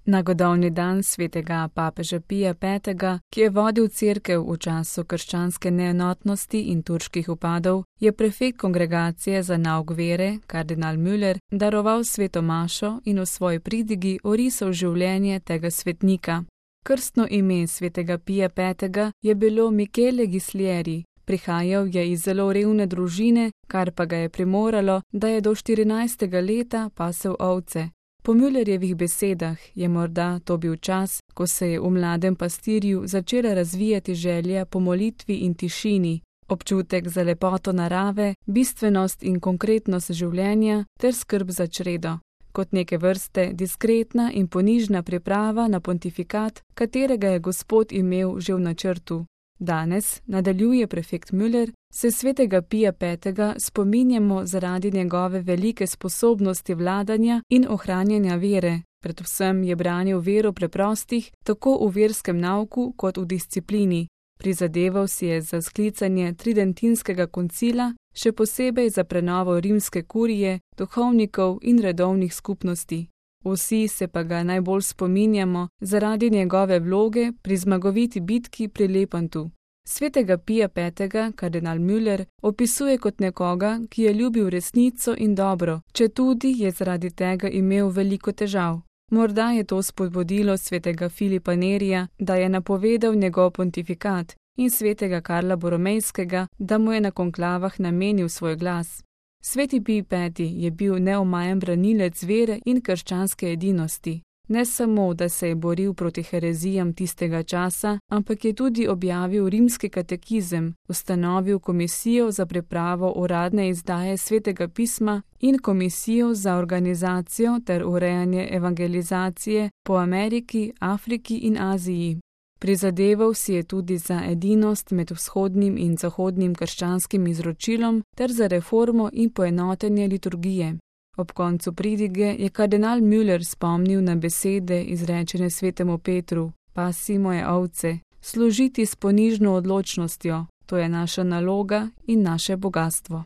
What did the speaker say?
Na godovni dan svetega papeža Pija V., ki je vodil cerkev v času krščanske neenotnosti in turških vpadov, je prefekt kongregacije za nauk vere, kardinal Müller, daroval sveto mašo in v svoji pridigi orisal življenje tega svetnika. Krstno ime svetega Pija V. je bilo Michele Ghislieri. Prihajal je iz zelo revne družine, kar pa ga je primoralo, da je do 14. leta pasel ovce. Po Müllerjevih besedah je morda to bil čas, ko se je v mladem pastirju začela razvijati želja po molitvi in tišini, občutek za lepoto narave, bistvenost in konkretnost življenja ter skrb za čredo. Kot neke vrste diskretna in ponižna priprava na pontifikat, katerega je Gospod imel že v načrtu. Danes, nadaljuje prefekt Müller, se svetega Pija V. spominjamo zaradi njegove velike sposobnosti vladanja in ohranjanja vere. Predvsem je branil vero preprostih, tako v verskem nauku kot v disciplini. Prizadeval si je za sklicanje tridentinskega koncila, še posebej za prenovo rimske kurije, duhovnikov in redovnih skupnosti. Vsi se pa ga najbolj spominjamo zaradi njegove vloge pri zmagoviti bitki pri Lepantu. Svetega Pija V. kardinal Müller opisuje kot nekoga, ki je ljubil resnico in dobro, četudi je zaradi tega imel veliko težav. Morda je to spodbudilo svetega Filipa Nerija, da je napovedal njegov pontifikat, in svetega Karla Boromejskega, da mu je na konklavah namenil svoj glas. Sveti Pij V. je bil neomajen branilec vere in krščanske edinosti. Ne samo, da se je boril proti herezijam tistega časa, ampak je tudi objavil rimski katekizem, ustanovil komisijo za pripravo uradne izdaje svetega pisma in komisijo za organizacijo ter urejanje evangelizacije po Ameriki, Afriki in Aziji. Prizadeval si je tudi za edinost med vzhodnim in zahodnim krščanskim izročilom ter za reformo in poenotenje liturgije. Ob koncu pridige je kardinal Müller spomnil na besede izrečene svetemu Petru: "Pasi moje ovce, služiti s ponižno odločnostjo, to je naša naloga in naše bogastvo."